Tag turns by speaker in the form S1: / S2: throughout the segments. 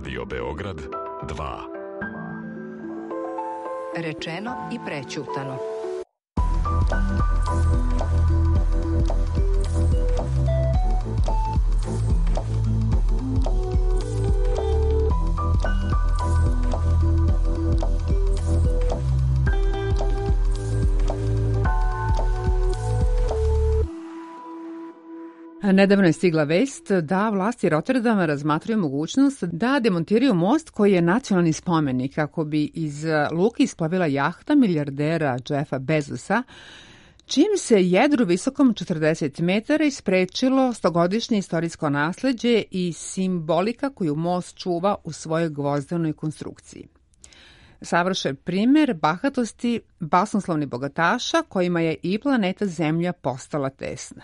S1: Radio Beograd 2.
S2: Rečeno i prećutano.
S3: Nedavno je stigla vest da vlasti Rotterdama razmatraju mogućnost da demontiraju most koji je nacionalni spomenik kako bi iz luke isplavila jahta milijardera Jeffa Bezosa, čim se jedru visokom 40 metara isprečilo stogodišnje istorijsko nasleđe i simbolika koju most čuva u svojoj gvozdanoj konstrukciji. Savršen primer bahatosti basnoslovnih bogataša kojima je i planeta Zemlja postala tesna.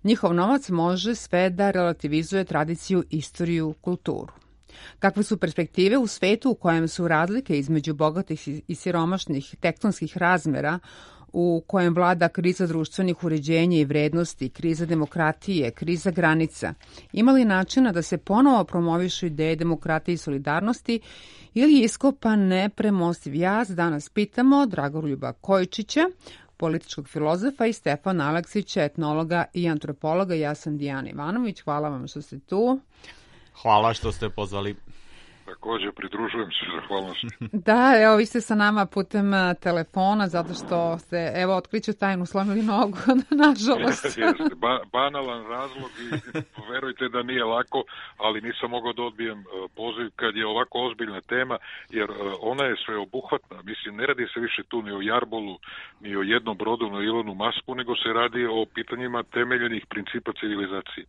S3: Njihov novac može sve da relativizuje tradiciju, istoriju, kulturu. Kakve su perspektive u svetu u kojem su razlike između bogatih i siromašnih tektonskih razmera, u kojem vlada kriza društvenih uređenja i vrednosti, kriza demokratije, kriza granica, ima li načina da se ponovo promovišu ideje demokratije i solidarnosti ili je iskopan nepremostiv jaz, danas pitamo Dragoljuba Kojičića, političkog filozofa, i Stefana Aleksića, etnologa i antropologa. Ja sam Dijana Ivanović. Hvala vam što ste tu.
S4: Hvala što ste pozvali.
S5: Također, pridružujem se, zahvalnosti.
S3: Da, evo, vi ste sa nama putem telefona, zato što ste, evo, otkriću tajnu, slomili nogu, nažalost.
S5: Jeste, banalan razlog i verujte da nije lako, ali nisam mogao da odbijem poziv kad je ovako ozbiljna tema, jer ona je sveobuhvatna. Mislim, ne radi se više tu ni o jarbolu, ni o jednom brodu na Ilonu Masku, nego se radi o pitanjima temeljenih principa civilizacije.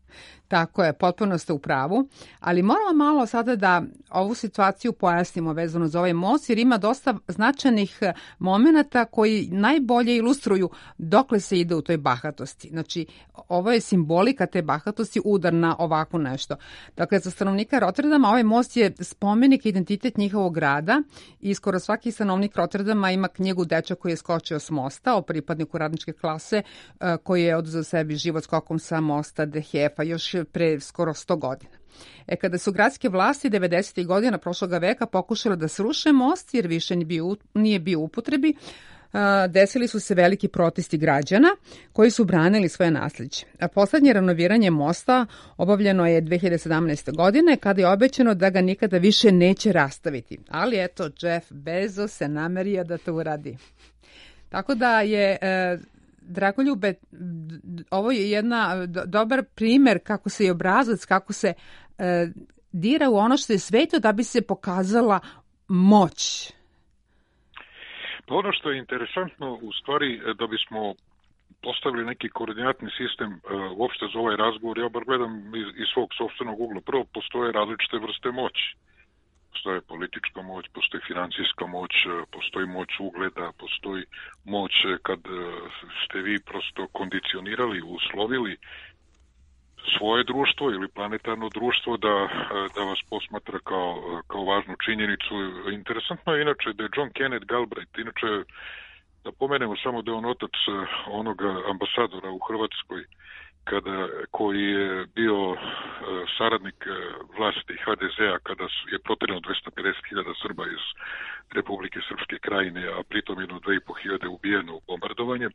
S3: Tako je, potpuno ste u pravu, ali moramo malo sada da ovu situaciju pojasnimo vezano za ovaj most, jer ima dosta značajnih momenata koji najbolje ilustruju dokle se ide u toj bahatosti. Znači, ovo je simbolika te bahatosti, udar na ovako nešto. Dakle, za stanovnika Rotterdama ovaj most je spomenik, identitet njihovog grada i skoro svaki stanovnik Rotterdama ima knjigu Dečak koji je skočio s mosta, o pripadniku radničke klase koji je oduzeo sebi život skokom sa mosta De Hefa još pre skoro 100 godina. Kada su gradske vlasti 90. godina prošloga veka pokušale da sruše most jer više nije bio u upotrebi, desili su se veliki protesti građana koji su branili svoje nasleđe. Poslednje renoviranje mosta obavljeno je 2017. godine kada je obećano da ga nikada više neće rastaviti. Ali eto, Jeff Bezos se namerio da to uradi. Tako da je... Dragoljube, ovo je jedna dobar primer kako se i obrazac, kako se dira u ono što je sveto da bi se pokazala moć.
S5: Pa ono što je interesantno, u stvari, da bismo postavili neki koordinatni sistem uopšte za ovaj razgovor, ja bar gledam iz svog sopstvenog ugla. Prvo, postoje različite vrste moći. Postoje politička moć, postoji financijska moć, postoji moć ugleda, postoji moć kad ste vi prosto kondicionirali, uslovili svoje društvo ili planetarno društvo da vas posmatra kao važnu činjenicu. Interesantno je inače da je John Kenneth Galbraith, inače da pomenemo samo da je on otac onoga ambasadora u Hrvatskoj, koji je bio saradnik vlasti HDZ-a kada je proterano 250.000 Srba iz Republike Srpske krajine, a pritom jedno 2.500 ubijeno u bombardovanje.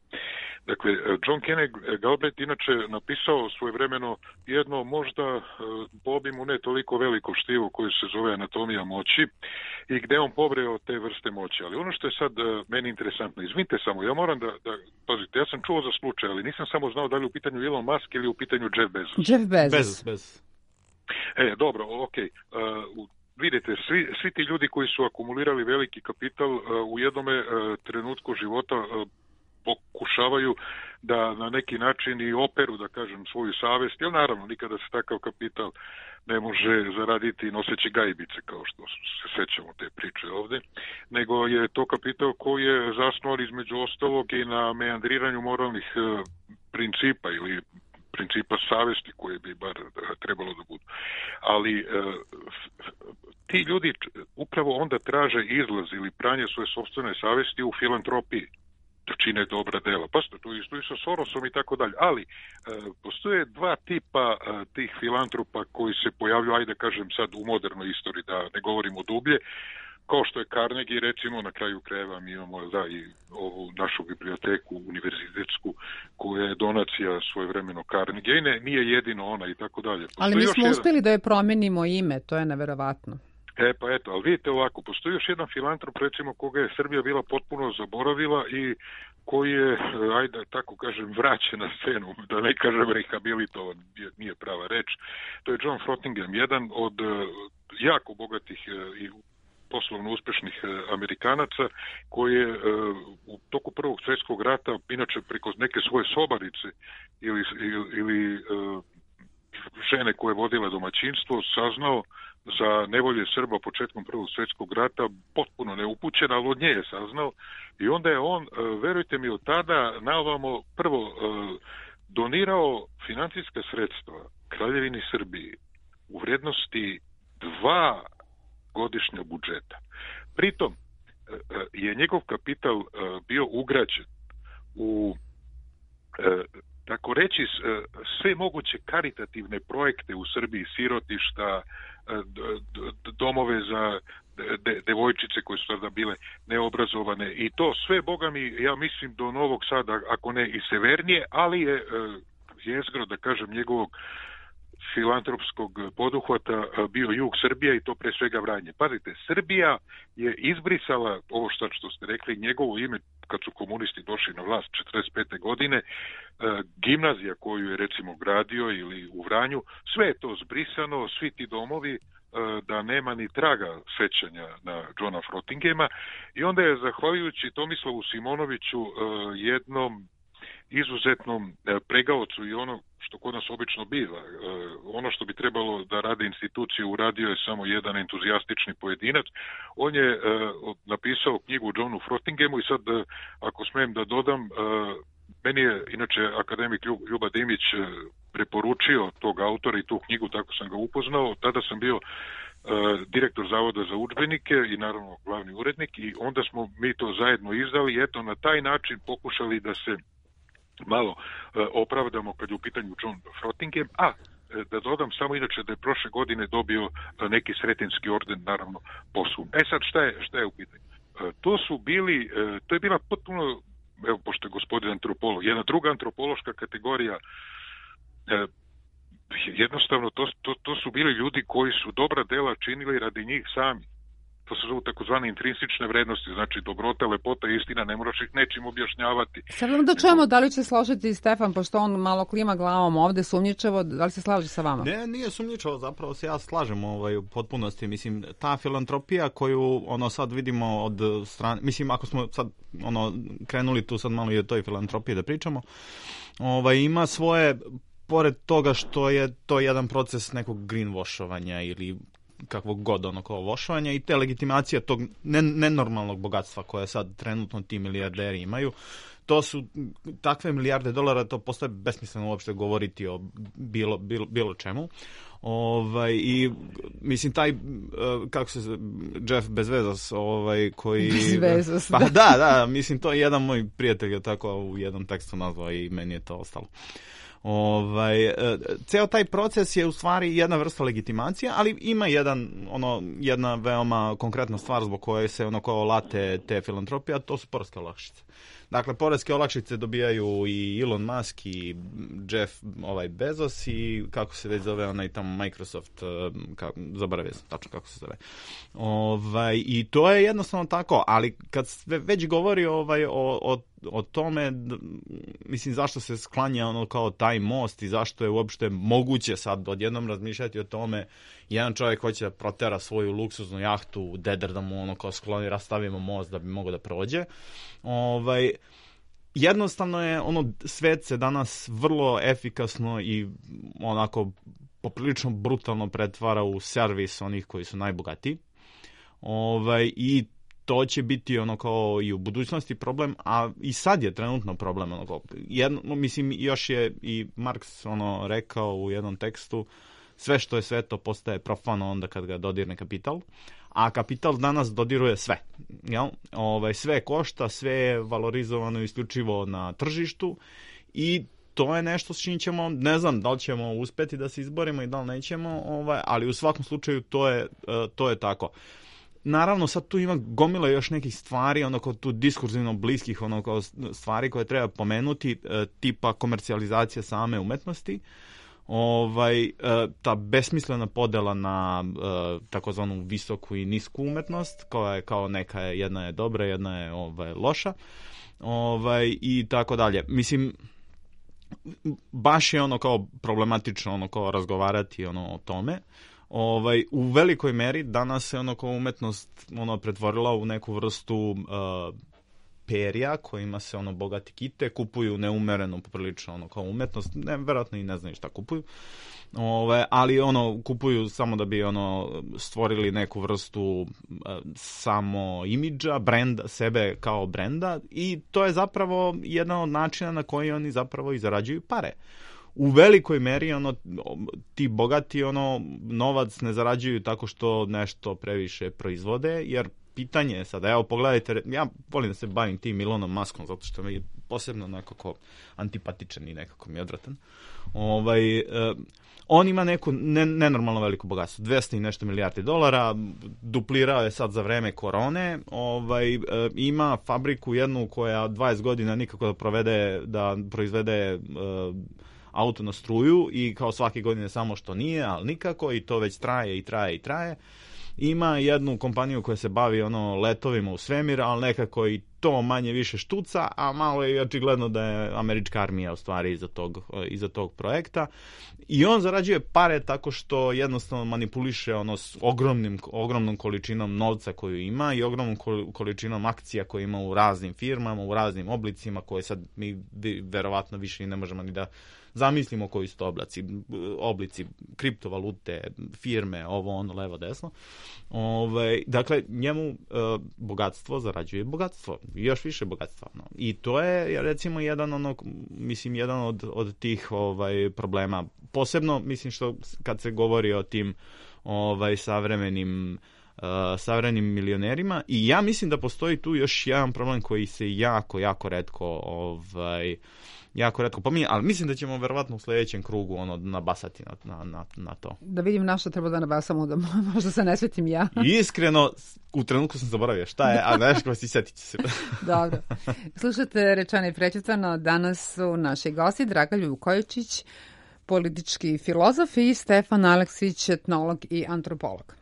S5: Dakle, John Kenneth Galbraith inače napisao svojevremeno jedno možda po obimu ne toliko veliko štivo koje se zove Anatomija moći i gde on pobreo te vrste moći. Ali ono što je sad meni interesantno, izvinite samo, ja moram da pazite, ja sam čuo za slučaj, ali nisam samo znao da li u pitanju Elon Musk ili u pitanju Jeff Bezos.
S3: Jeff Bezos.
S5: Dobro, okej. Vidite, svi ti ljudi koji su akumulirali veliki kapital u jednome trenutku života pokušavaju da na neki način i operu, da kažem, svoju savest, jer naravno nikada se takav kapital ne može zaraditi noseći gajbice, kao što se sećamo te priče ovde, nego je to kapital koji je zasnovan između ostalog i na meandriranju moralnih principa ili principa savesti koje bi bar trebalo da budu. Ali ti ljudi upravo onda traže izlaz ili pranje svoje sopstvene savesti u filantropiji. da čine dobra dela. Pa to isto i sa Sorosom i tako dalje. Ali postoje dva tipa tih filantropa koji se pojavljuju, ajde kažem sad u modernoj istoriji, da ne govorimo dublje, kao što je Carnegie, recimo, na kraju krajeva mi imamo i ovu našu biblioteku univerzitetsku koja je donacija svojevremeno Carnegie, nije jedino ona i tako dalje.
S3: Ali mi smo uspjeli da je promenimo ime, to je neverovatno.
S5: Pa eto, ali vidite ovako, postoji još jedan filantrop, recimo, koga je Srbija bila potpuno zaboravila i koji je, ajde tako kažem, vraćen na scenu, da ne kažem rehabilitovan, nije prava reč. To je John Frottingham, jedan od jako bogatih i poslovno uspešnih Amerikanaca, koji je u toku Prvog svjetskog rata, inače preko neke svoje sobarice ili žene koje vodile domaćinstvo, saznao za nevolje Srba početkom Prvog svjetskog rata, potpuno neupućen, ali od nje je saznao. I onda je on, verujte mi, od tada naovamo prvo donirao financijska sredstva Kraljevini Srbiji u vrednosti 2 godišnja budžeta. Pritom je njegov kapital bio ugrađen u tako reći sve moguće karitativne projekte u Srbiji, sirotišta, domove za devojčice koje su tada bile neobrazovane i to sve, boga mi, ja mislim do Novog Sada, ako ne i severnije, ali je jezgro, da kažem, njegovog filantropskog poduhvata bio jug Srbije i to pre svega Vranje. Pazite, Srbija je izbrisala ovo što ste rekli, njegovo ime kad su komunisti došli na vlast 45. godine, gimnazija koju je recimo gradio ili u Vranju, sve je to zbrisano, svi ti domovi, da nema ni traga sećanja na Johna Frottinghama i onda je zahvaljujući Tomislavu Simonoviću jednom izuzetnom pregaocu i ono što kod nas obično biva. Ono što bi trebalo da rade institucije uradio je samo jedan entuzijastični pojedinac. On je napisao knjigu Johnu Frottinghamu i sad, ako smijem da dodam, meni je inače akademik Ljuba Dimić preporučio tog autora i tu knjigu, tako sam ga upoznao. Tada sam bio direktor Zavoda za udžbenike i naravno glavni urednik i onda smo mi to zajedno izdali i eto na taj način pokušali da se malo opravdamo kad je u pitanju John Frottingham, a da dodam samo inače da je prošle godine dobio neki sretenski orden, naravno posum. Sad šta je u pitanju? To je bila potpuno, evo pošto je gospodin antropolog, jedna druga antropološka kategorija, jednostavno to su bili ljudi koji su dobra dela činili radi njih sami. To se zovu takozvane intrinsične vrednosti, znači dobrota, lepota, istina, ne moraš ih nečim objašnjavati.
S3: Sad da čujemo da li će složiti Stefan, pošto on malo klima glavom ovde sumnjičavo, da li se slaže sa vama?
S4: Ne, nije sumnjičavo, zapravo se ja slažem u potpunosti. Mislim, ta filantropija koju sad vidimo od strane, mislim, ako smo sad krenuli tu sad malo i o toj filantropiji da pričamo, ima svoje, pored toga što je to jedan proces nekog greenwashovanja ili kakvog god vošovanja i te legitimacije tog nenormalnog bogatstva koje sad trenutno ti milijarderi imaju, to su takve milijarde dolara, to postaje besmisleno uopšte govoriti o bilo čemu. I mislim taj kako se Jeff Bezos koji
S3: Bezos,
S4: pa da, mislim to je jedan moj prijatelj je tako u jednom tekstu nazvao i meni je to ostalo. Ceo taj proces je u stvari jedna vrsta legitimacije, ali ima jedna veoma konkretna stvar zbog koje se late te filantropije, a to su poreske olakšice. Dakle, poreske olakšice dobijaju i Elon Musk i Jeff Bezos i kako se već zove onaj tamo Microsoft, zaboravio sam tačno kako se zove. I to je jednostavno tako, ali kad se već govori o tome, mislim, zašto se sklanja kao taj most i zašto je uopšte moguće sad odjednom razmišljati o tome, jedan čovjek hoće da protera svoju luksuznu jahtu u Deder da mu kao skloni, rastavimo most da bi mogao da prođe. Jednostavno je svet se danas vrlo efikasno i onako poprilično brutalno pretvara u servis onih koji su najbogatiji. I to će biti kao i u budućnosti problem, a i sad je trenutno problem. Mislim, još je i Marks rekao u jednom tekstu, sve što je sveto postaje profano onda kad ga dodirne kapital, a kapital danas dodiruje sve. Jel? Sve košta, sve je valorizovano isključivo na tržištu i to je nešto s čim ćemo, ne znam da li ćemo uspeti da se izborimo i da li nećemo, ali u svakom slučaju to je tako. Naravno, sad tu ima gomila još nekih stvari, kao tu diskurzivno bliskih kao stvari koje treba pomenuti, tipa komercijalizacija same umetnosti, ta besmislena podela na takozvanu visoku i nisku umetnost, koja je kao neka, jedna je dobra, jedna je loša, i tako dalje. Mislim, baš je kao problematično kao razgovarati o tome. U velikoj meri danas se kao umetnost pretvorila u neku vrstu perja kojima se bogati kite, kupuju neumereno poprilično kao umetnost, verovatno i ne znaju šta kupuju, ali kupuju samo da bi stvorili neku vrstu samo imidža, brenda, sebe kao brenda, i to je zapravo jedan od načina na koji oni zapravo i zarađuju pare. U velikoj meri ti bogati novac ne zarađuju tako što nešto previše proizvode, jer pitanje je sada, evo pogledajte, ja volim da se bavim tim Elonom Muskom zato što mi je posebno nekako antipatičan i nekako mi je odvratan. On ima neku nenormalno veliko bogatstvo, 200 i nešto milijardi dolara, duplirao je sad za vreme korone, ima fabriku jednu koja 20 godina nikako da proizvede auto na struju i kao svake godine samo što nije, ali nikako, i to već traje. Ima jednu kompaniju koja se bavi letovima u svemir, ali nekako i to manje više štuca, a malo je očigledno da je američka armija u stvari iza tog projekta. I on zarađuje pare tako što jednostavno manipuliše s ogromnom količinom novca koju ima i ogromnom količinom akcija koje ima u raznim firmama, u raznim oblicima, koje sad mi verovatno više i ne možemo ni da zamislimo koji su to oblici kriptovalute, firme, levo, desno. Dakle, njemu bogatstvo zarađuje bogatstvo, još više bogatstva. No. I to je, recimo, jedan od tih problema. Posebno, mislim, što kad se govori o tim savremenim milionerima, i ja mislim da postoji tu još jedan problem koji se jako retko pominje, ali mislim da ćemo verovatno u sljedećem krugu nabasati na to.
S3: Da vidim na što treba da nabasamo, da možda se ne svetim ja.
S4: Iskreno, u trenutku sam zaboravio šta je, a nešto vas i setit će se.
S3: Dobro. Slušate Rečeno i prećutano. Danas su naši gosti Draga Ljukojičić, politički filozof, i Stefan Aleksić, etnolog i antropolog.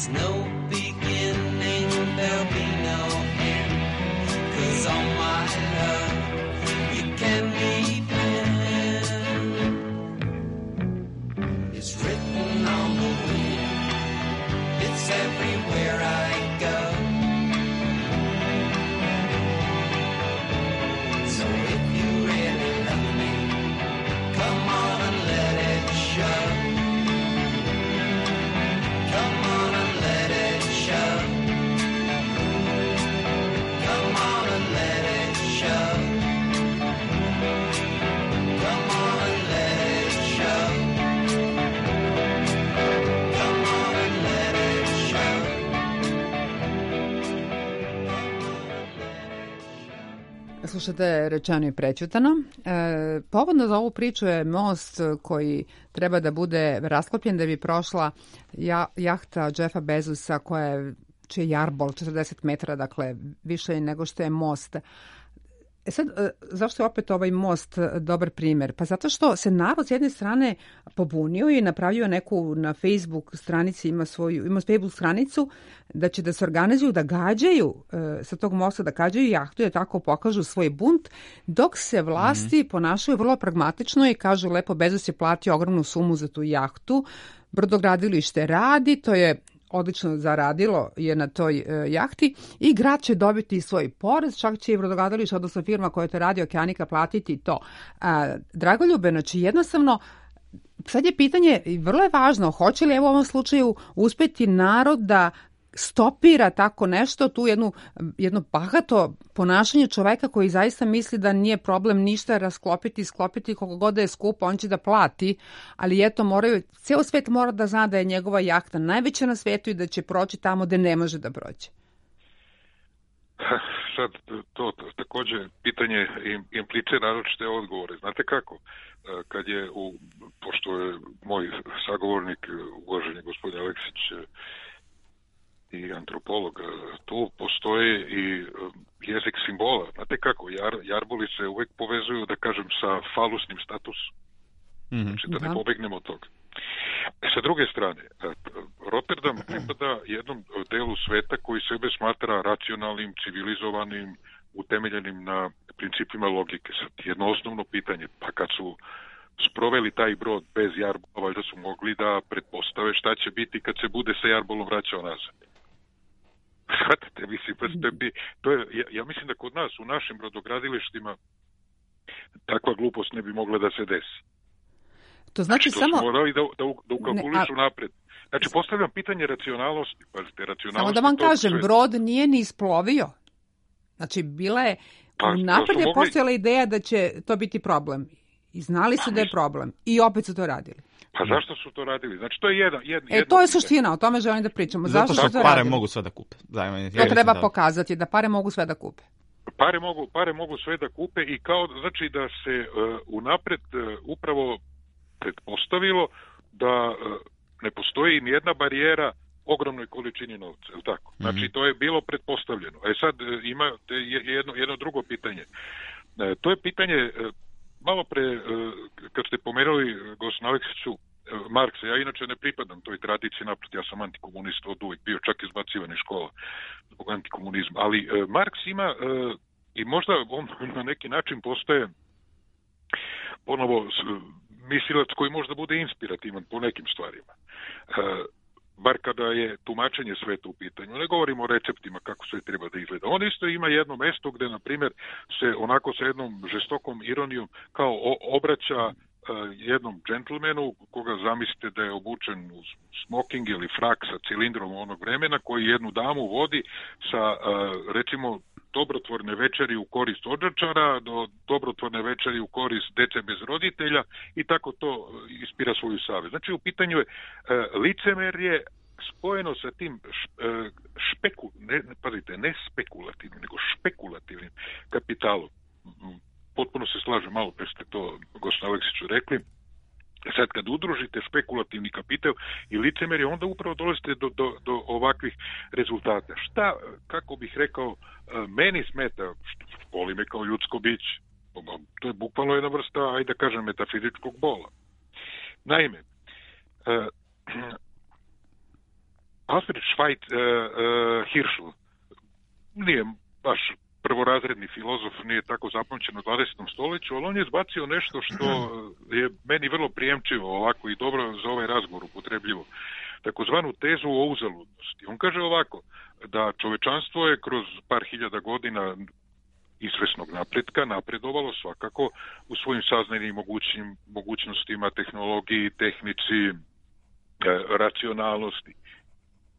S6: there's no beginning, there'll be no end. 'Cause all my love you can depend. It's written on the wind, it's everywhere I go. So if you really love me, come on and let it show. Come on and let it show. Come on and let it show. Come on and let it show. Come on and let it show.
S3: Slušate Rečeno i prećutano. Povodno za ovu priču je most koji treba da bude rasklopljen da bi prošla jahta Jeffa Bezosa čiji je jarbol 40 metara, dakle više nego što je most. Sad, zašto je opet ovaj most dobar primer? Pa zato što se narod s jedne strane pobunio i napravio neku na Facebook stranici, ima Facebook stranicu da će da se organizuju, da gađaju sa tog mosta, da gađaju jahtu i da tako pokažu svoj bunt, dok se vlasti ponašaju vrlo pragmatično i kažu lepo Bezos je platio ogromnu sumu za tu jahtu, brodogradilište radi, to je odlično zaradilo je na toj jahti i grad će dobiti svoj porez, čak će i brodogradilište, odnosno firma koja to radi, Okeanika, platiti to. Dragoljube, znači jednostavno, sad je pitanje, i vrlo je važno, hoće li u ovom slučaju uspeti narod da stopira tako nešto, tu jedno bahato ponašanje čoveka koji zaista misli da nije problem ništa sklopiti koliko god da je skupo, on će da plati, ali eto ceo svet mora da zna da je njegova jahta najveća na svetu i da će proći tamo gde ne može da prođe.
S5: Sad, to takođe pitanje implicira različite odgovore. Znate kako? Kad je, pošto je moj sagovornik, uvaženi gospodin Aleksić, i antropolog, tu postoji i jezik simbola. Znate kako, jarboli se uvek povezuju, da kažem, sa falusnim statusom. Znači da ne pobegnemo od toga. Sa druge strane, Rotterdam pripada jednom delu sveta koji sebe smatra racionalnim, civilizovanim, utemeljenim na principima logike. Sad, jedno osnovno pitanje, pa kad su sproveli taj brod bez jarbola, valjda su mogli da pretpostave šta će biti kad se bude sa jarbolom vraćao nazad. Shvatate, mislim, ja mislim da kod nas, u našim brodogradilištima, takva glupost ne bi mogla da se desi.
S3: To znači samo...
S5: Su morali da ukalkulišu napred. Znači, postavljam pitanje racionalnosti. Pazite, racionalnosti...
S3: Samo da vam kažem, brod nije ni isplovio. Znači, bila je... Napred je postojala ideja da će to biti problem. I znali su da je problem. I opet su to radili.
S5: Pa zašto su to radili? Znači, to je jedno
S3: to je suština, o tome želim da pričamo.
S4: Zato što pare mogu sve da kupe.
S3: To treba pokazati, da pare mogu sve da kupe.
S5: Pare mogu sve da kupe i kao, znači da se unapred upravo pretpostavilo da ne postoji nijedna barijera ogromnoj količini novca, je li tako? Znači, to je bilo pretpostavljeno. Sad ima jedno drugo pitanje. To je pitanje... Malo pre, kad ste pomerali, gospodin Aleksiću, Marksa, ja inače ne pripadam toj tradiciji, napred, ja sam antikomunista od uvijek bio, čak izbacivan iz škola zbog antikomunizma, ali Marks ima, i možda on na neki način postaje ponovo mislilac koji možda bude inspirativan po nekim stvarima. Bar kada je tumačenje sveta u pitanju. Ne govorimo o receptima kako sve treba da izgleda. On isto ima jedno mesto gde, na primjer, se onako sa jednom žestokom ironijom kao obraća jednom džentlmenu, koga zamislite da je obučen u smoking ili frak sa cilindrom onog vremena, koji jednu damu vodi sa, recimo, dobrotvorne večeri u korist odžačara do dobrotvorne večeri u korist dece bez roditelja i tako to ispira svoju savest. Znači, u pitanju je licemerje spojeno sa tim ne spekulativnim, nego špekulativnim kapitalom. Potpuno se slažem, malo pre ste to, gospodin Aleksiću, rekli. Sad, kad udružite špekulativni kapital i licemerje, onda upravo dolazite do ovakvih rezultata. Šta, kako bih rekao, meni smeta, boli me kao ljudsko biće. To je bukvalno jedna vrsta, ajde da kažem, metafizičkog bola. Naime, Alfred Hirschel nije baš prvorazredni filozof, nije tako zapamćen u 20. stoljeću, ali on je izbacio nešto što je meni vrlo prijemčivo ovako i dobro za ovaj razgovor upotrebljivo. Takozvanu tezu o uzaludnosti. On kaže ovako, da čovečanstvo je kroz par hiljada godina izvesnog napretka napredovalo svakako u svojim saznajnim mogućnostima, tehnologiji, tehnici, racionalnosti,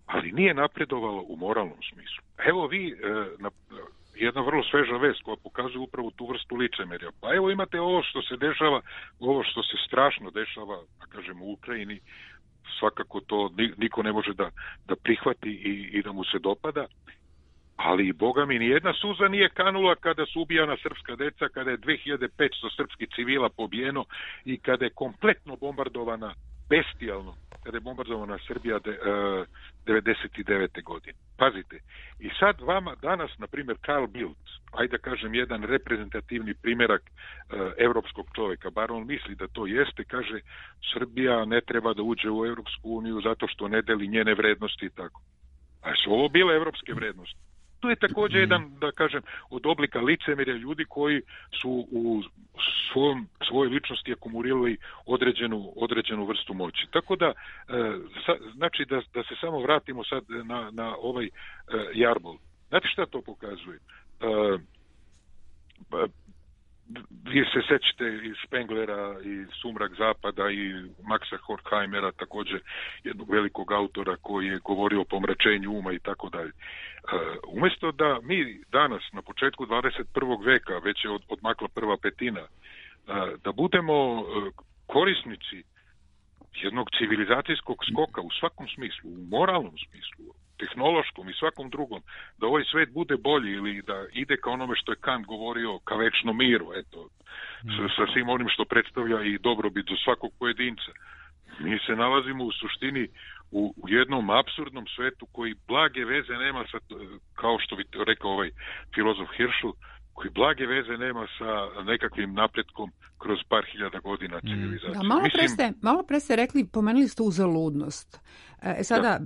S5: ali nije napredovalo u moralnom smislu. Evo vi, jedna vrlo sveža vest koja pokazuje upravo tu vrstu licemerja. Pa evo imate ovo što se dešava, ovo što se strašno dešava, da kažem, u Ukrajini, svakako to niko ne može da prihvati i da mu se dopada, ali boga mi nijedna suza nije kanula kada su ubijana srpska deca, kada je 2500 srpskih civila pobijeno i kada je kompletno bombardovana, bestijalno, kada je bombardovana Srbija 99. godine. Pazite, i sad vama danas, na primjer, Carl Bildt, ajde da kažem jedan reprezentativni primjerak evropskog čovjeka, bar on misli da to jeste, kaže Srbija ne treba da uđe u Evropsku uniju zato što ne deli njene vrednosti i tako. A su ovo bile evropske vrednosti? To je također jedan, da kažem, od oblika licemerja ljudi koji su u svojoj ličnosti akumulirali određenu vrstu moći. Tako da, znači da se samo vratimo sad na ovaj jarbol. Znate šta to pokazuje? Vi se sećate i Spenglera i Sumrak zapada i Maxa Horkheimera, također jednog velikog autora koji je govorio o pomračenju uma i tako dalje. Umjesto da mi danas na početku 21. veka, već je odmakla prva petina, da budemo korisnici jednog civilizacijskog skoka u svakom smislu, u moralnom smislu, tehnološkom i svakom drugom, da ovaj svet bude bolji ili da ide ka onome što je Kant govorio, ka večnom miru, eto, sa svim onim što predstavlja i dobrobit za svakog pojedinca. Mi se nalazimo u suštini u jednom apsurdnom svetu koji blage veze nema sa, kao što bi rekao ovaj filozof Hirschel, koji blage veze nema sa nekakvim napretkom kroz par hiljada godina civilizacije.
S3: Da, malo pre ste rekli, pomenuli ste uzaludnost. Sada...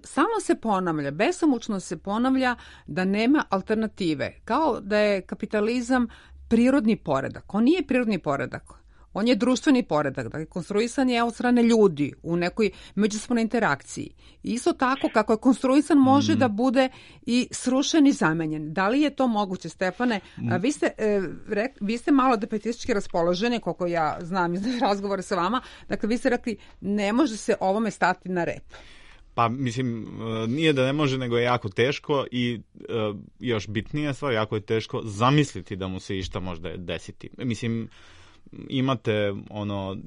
S3: samo se ponavlja, besomučno se ponavlja da nema alternative. Kao da je kapitalizam prirodni poredak. On nije prirodni poredak. On je društveni poredak. Dakle, konstruisan je od strane ljudi u nekoj međusobnoj interakciji. Isto tako kako je konstruisan može da bude i srušen i zamenjen. Da li je to moguće, Stefane? Vi ste malo defetistički raspoloženi, koliko ja znam iz razgovora sa vama. Dakle, vi ste rekli ne može se ovome stati na rep.
S4: Pa, mislim, nije da ne može, nego je jako teško i još bitnija stvar, jako je teško zamisliti da mu se išta možda desiti. Mislim, imate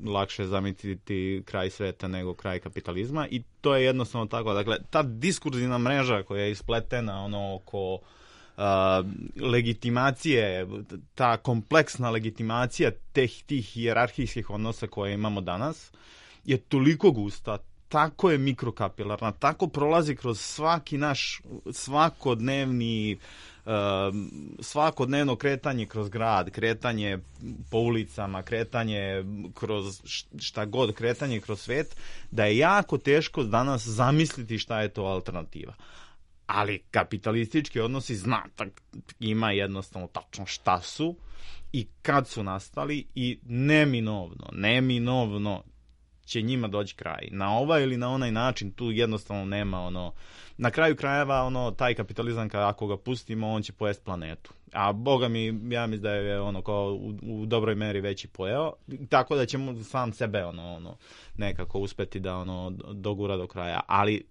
S4: lakše zamisliti kraj sveta nego kraj kapitalizma i to je jednostavno tako. Dakle, ta diskurzivna mreža koja je ispletena oko legitimacije, ta kompleksna legitimacija tih hijerarhijskih odnosa koje imamo danas je toliko gusta, tako je mikrokapilarna, tako prolazi kroz svaki naš svakodnevno kretanje kroz grad, kretanje po ulicama, kretanje kroz šta god, kretanje kroz svet, da je jako teško danas zamisliti šta je to alternativa. Ali kapitalistički odnosi ima jednostavno tačno šta su i kad su nastali i neminovno će njima doći kraj. Na ovaj ili na onaj način tu jednostavno nema na kraju krajeva taj kapitalizam ako ga pustimo on će pojesti planetu. A boga mi, ja mislim da je kao u dobroj meri već i pojeo, tako da ćemo sam sebe nekako uspeti da dogura do kraja. Ali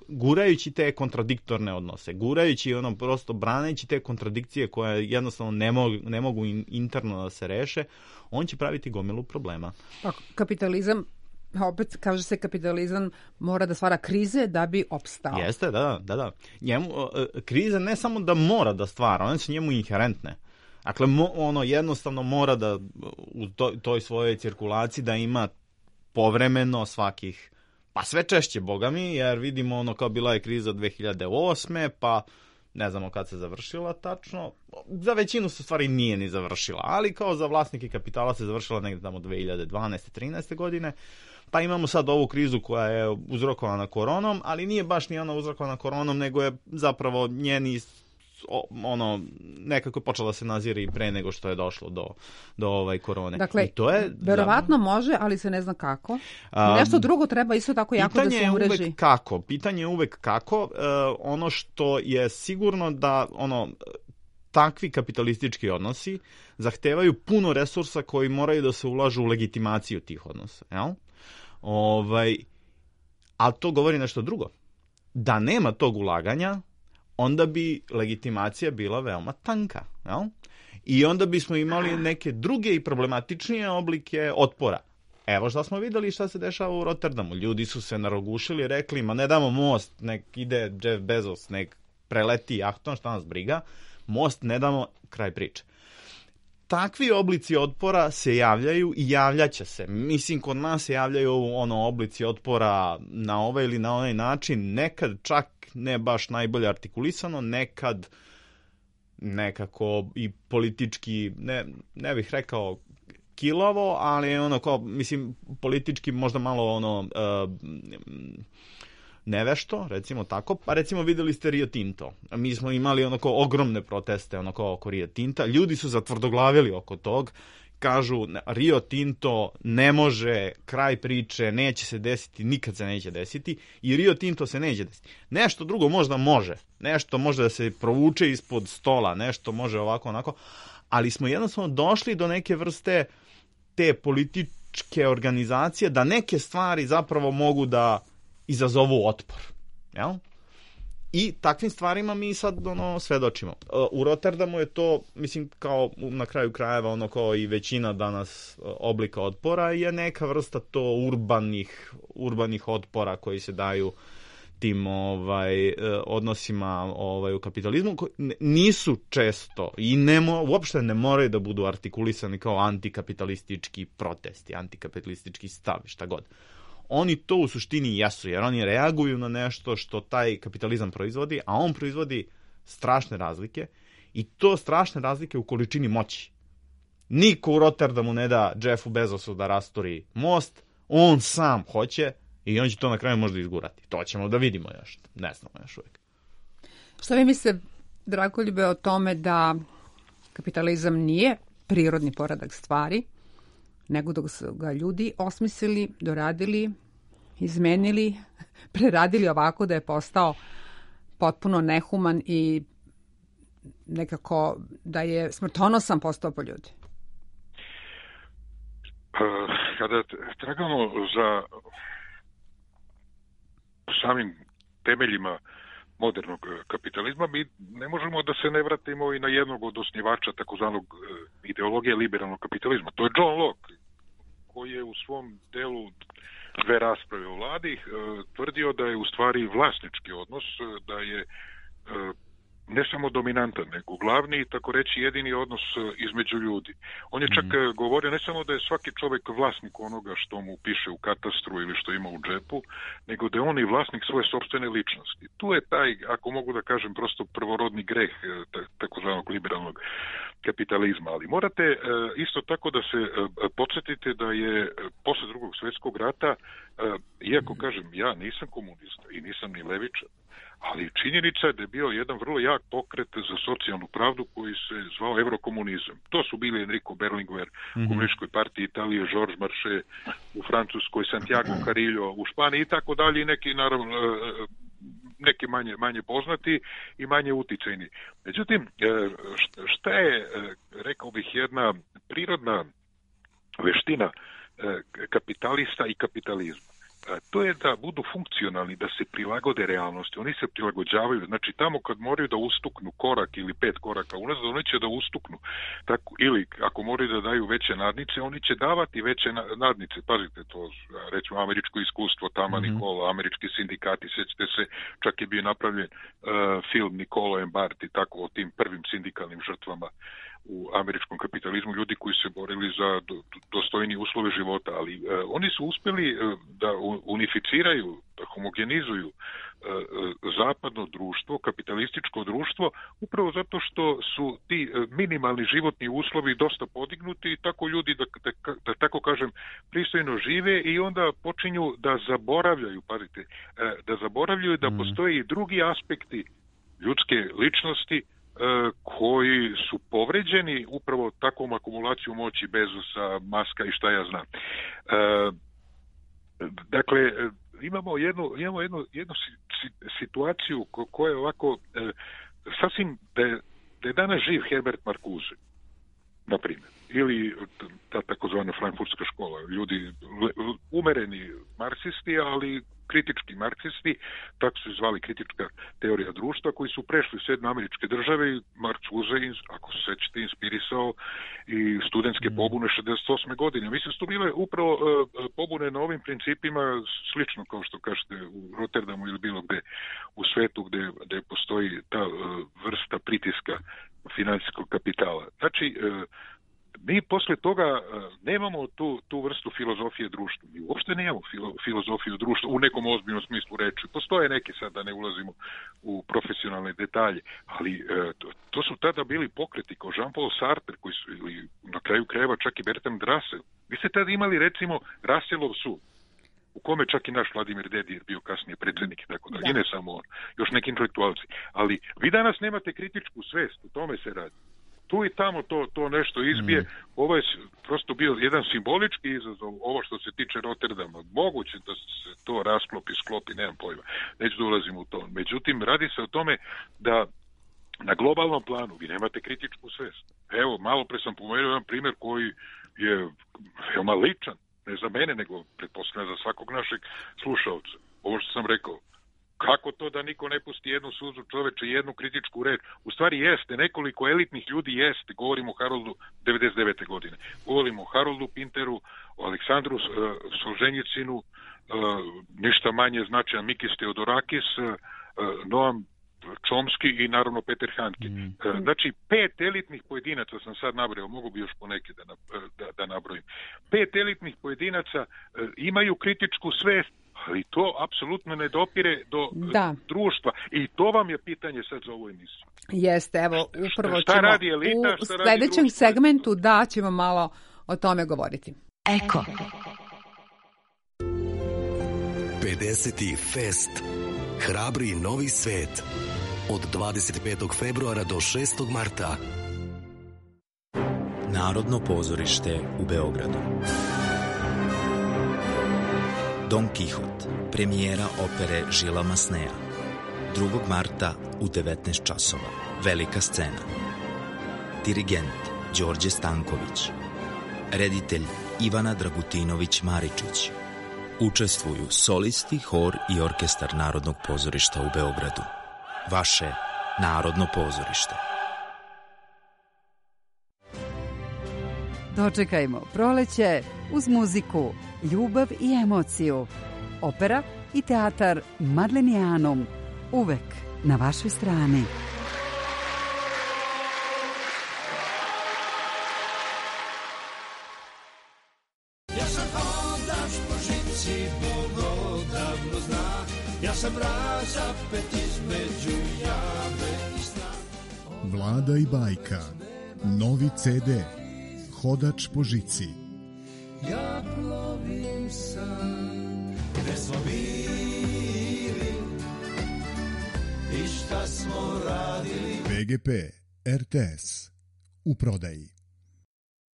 S4: gurajući te kontradiktorne odnose, gurajući prosto braneći te kontradikcije koje jednostavno ne mogu interno da se reše, on će praviti gomilu problema.
S3: Pa, kapitalizam, opet kaže se kapitalizam mora da stvara krize da bi opstao.
S4: Jeste, da. Krize ne samo da mora da stvara, one su njemu inherentne. Dakle, jednostavno mora da u toj svojoj cirkulaciji da ima povremeno svakih, pa sve češće, boga mi, jer vidimo kao bila je kriza 2008. pa ne znamo kad se završila tačno. Za većinu se stvari nije ni završila, ali kao za vlasnike kapitala se završila negdje tamo 2012. 13. godine. pa imamo sad ovu krizu koja je uzrokovana koronom, ali nije baš ni ona uzrokovana koronom, nego je zapravo njeni nekako je počela se nazira i pre nego što je došlo do korone.
S3: Dakle,
S4: i to je
S3: verovatno može, ali se ne zna kako. Nešto drugo treba isto tako jako da se umreži.
S4: Pitanje je uvek kako. Ono što je sigurno da takvi kapitalistički odnosi zahtevaju puno resursa koji moraju da se ulažu u legitimaciju tih odnosa. Jel? Ali to govori nešto drugo. Da nema tog ulaganja, onda bi legitimacija bila veoma tanka. Jel? I onda bismo imali neke druge i problematičnije oblike otpora. Evo što smo videli šta se dešava u Rotterdamu. Ljudi su se narogušili i rekli, ma ne damo most, nek ide Jeff Bezos, nek preleti jahtom, šta nas briga. Most ne damo, kraj priče. Takvi oblici otpora se javljaju i javljaće se. Mislim, kod nas se javljaju oblici otpora na ovaj ili na onaj način, nekad čak ne baš najbolje artikulisano, nekad nekako i politički, ne bih rekao kilavo, ali politički možda malo nevešto, recimo tako. Pa recimo videli ste Rio Tinto. Mi smo imali ogromne proteste oko Rio Tinta. Ljudi su zatvrdoglavili oko tog. Kažu, Rio Tinto ne može, kraj priče, neće se desiti, nikad se neće desiti i Rio Tinto se neće desiti. Nešto drugo možda može. Nešto može da se provuče ispod stola, nešto može ovako, onako. Ali smo jednostavno došli do neke vrste te političke organizacije da neke stvari zapravo mogu da izazovu otpor. Jel? I takvim stvarima mi sad svedočimo. U Rotterdamu je to, mislim, kao na kraju krajeva, kao i većina danas oblika otpora, je neka vrsta to urbanih otpora koji se daju tim odnosima u kapitalizmu, koji nisu često i uopšte ne moraju da budu artikulisani kao antikapitalistički protesti, antikapitalistički stav, šta god. Oni to u suštini jesu, jer oni reaguju na nešto što taj kapitalizam proizvodi, a on proizvodi strašne razlike i to strašne razlike u količini moći. Niko u Rotterdamu ne da Jeffu Bezosu da rasturi most, on sam hoće i on će to na kraju možda izgurati. To ćemo da vidimo još, ne znamo još uvijek.
S3: Šta vi mislite, Dragoljube, o tome da kapitalizam nije prirodni poredak stvari, nego dok su ga ljudi osmislili, doradili, izmenili, preradili ovako da je postao potpuno nehuman i nekako da je smrtonosan postao po ljudi?
S5: Kada tragamo za samim temeljima modernog kapitalizma, mi ne možemo da se ne vratimo i na jednog od osnivača takozvanog ideologije liberalnog kapitalizma. To je John Locke, koji je u svom delu Dve rasprave o vladi tvrdio da je u stvari vlasnički odnos, da je ne samo dominantan, nego glavni, tako reći, jedini odnos između ljudi. On je čak govorio ne samo da je svaki čovjek vlasnik onoga što mu piše u katastru ili što ima u džepu, nego da je on i vlasnik svoje sopstvene ličnosti. Tu je taj, ako mogu da kažem, prosto prvorodni greh takozvanog liberalnog kapitalizma. Ali morate isto tako da se podsjetite da je posle Drugog svjetskog rata, iako kažem, ja nisam komunista i nisam ni levičar, ali činjenica je da je bio jedan vrlo jak pokret za socijalnu pravdu koji se zvao eurokomunizam. To su bili Enrico Berlinguer u Komunističkoj partiji Italije, Georges Marchais u Francuskoj, Santiago Carillo u Španiji i tako dalje, i neki, naravno, neki manje poznati i manje uticajni. Međutim, šta je, rekao bih, jedna prirodna veština kapitalista i kapitalizma? To je da budu funkcionalni, da se prilagode realnosti. Oni se prilagođavaju. Znači, tamo kad moraju da ustuknu korak ili 5 koraka unazad, oni će da ustuknu. Tako, ili ako moraju da daju veće nadnice, oni će davati veće nadnice. Pazite to, recimo, američko iskustvo, Tama Nikola, američki sindikati, sjećate se, čak je bio napravljen film Nicola and Bart i tako o tim prvim sindikalnim žrtvama u američkom kapitalizmu, ljudi koji se borili za dostojnije uslove života, ali oni su uspjeli da unificiraju, da homogenizuju zapadno društvo, kapitalističko društvo, upravo zato što su ti minimalni životni uslovi dosta podignuti i tako ljudi, da tako kažem, pristojno žive i onda počinju da zaboravljaju, pazite, da zaboravljaju da postoje i drugi aspekti ljudske ličnosti koji su povređeni upravo takvom akumulacijom moći Bezosa, Maska i šta ja znam. Dakle, imamo jednu situaciju koja je ovako sasvim da je danas živ Herbert Marcuse, na primjer, ili ta takozvana frankfurtska škola, ljudi umereni marksisti, ali kritički marksisti, tako su zvali kritička teorija društva, koji su prešli u Sjedinjene Američke Države i Marcuse, ako se sećate, inspirisao i studentske pobune 68. godine. Mislim su to bile upravo pobune na ovim principima, slično kao što kažete u Rotterdamu ili bilo gde u svetu gde postoji ta vrsta pritiska financijskog kapitala. Znači, mi posle toga nemamo tu vrstu filozofije društva. Mi uopšte nemamo filozofiju društva u nekom ozbiljnom smislu reči. Postoje neki, sad da ne ulazimo u profesionalne detalje, ali to su tada bili pokreti kao Jean-Paul Sartre, koji su, ili na kraju krajeva čak i Bertrand Russell. Vi ste tada imali, recimo, Russellov sud, u kome čak i naš Vladimir Dedijer bio kasnije predsjednik i tako da. I ne samo on, još neki intelektualci. Ali vi danas nemate kritičku svest, u tome se radi. Tu i tamo to nešto izbije. Ovo je prosto bio jedan simbolički izazov, ovo što se tiče Rotterdama. Moguće da se to sklopi, nemam pojma. Neću da ulazim u to. Međutim, radi se o tome da na globalnom planu vi nemate kritičku svest. Evo, malo pre sam pomenuo jedan primjer koji je veoma ličan. Ne za mene, nego pretpostavljam za svakog našeg slušalca. Ovo što sam rekao. Kako to da niko ne pusti jednu suzu čoveče, jednu kritičku reč? U stvari jeste, nekoliko elitnih ljudi jeste. Govorimo o Haroldu 99. godine. Govorimo o Haroldu Pinteru, o Aleksandru Solženjicinu, ništa manje značajan Mikis Theodorakis, Noam Chomsky i naravno Peter Handke. Znači, 5 elitnih pojedinaca sam sad nabrojao, mogu bi još poneke da nabrojim. 5 elitnih pojedinaca imaju kritičku svest, ali to apsolutno ne dopire do društva. I to vam je pitanje sad za ovu emisiju.
S3: Jeste, evo, upravo
S5: šta
S3: ćemo
S5: radi elita,
S3: u sljedećem segmentu ćemo malo o tome govoriti.
S2: Eko.
S7: 50. fest. Hrabri novi svet. Od 25. februara do 6. marta.
S8: Narodno pozorište u Beogradu. Don Kihot, premijera opere Žila Masneja. 2. marta u 19 časova. Velika scena. Dirigent Đorđe Stanković. Reditelj Ivana Dragutinović-Maričić. Učestvuju solisti, hor i orkestar Narodnog pozorišta u Beogradu. Vaše Narodno pozorište.
S9: Dočekajmo proleće uz muziku, ljubav i emociju. Opera i teatar Madlenijanum. Uvek na vašoj strani.
S6: Ja sam hodač po žici, Bog odavno zna. Ja sam razapet između jame i sna.
S10: Vlada i bajka. Novi CD. Hodač po žici.
S6: Ja plovim sam, gde smo bili i šta smo radili.
S10: PGP RTS. U prodaji.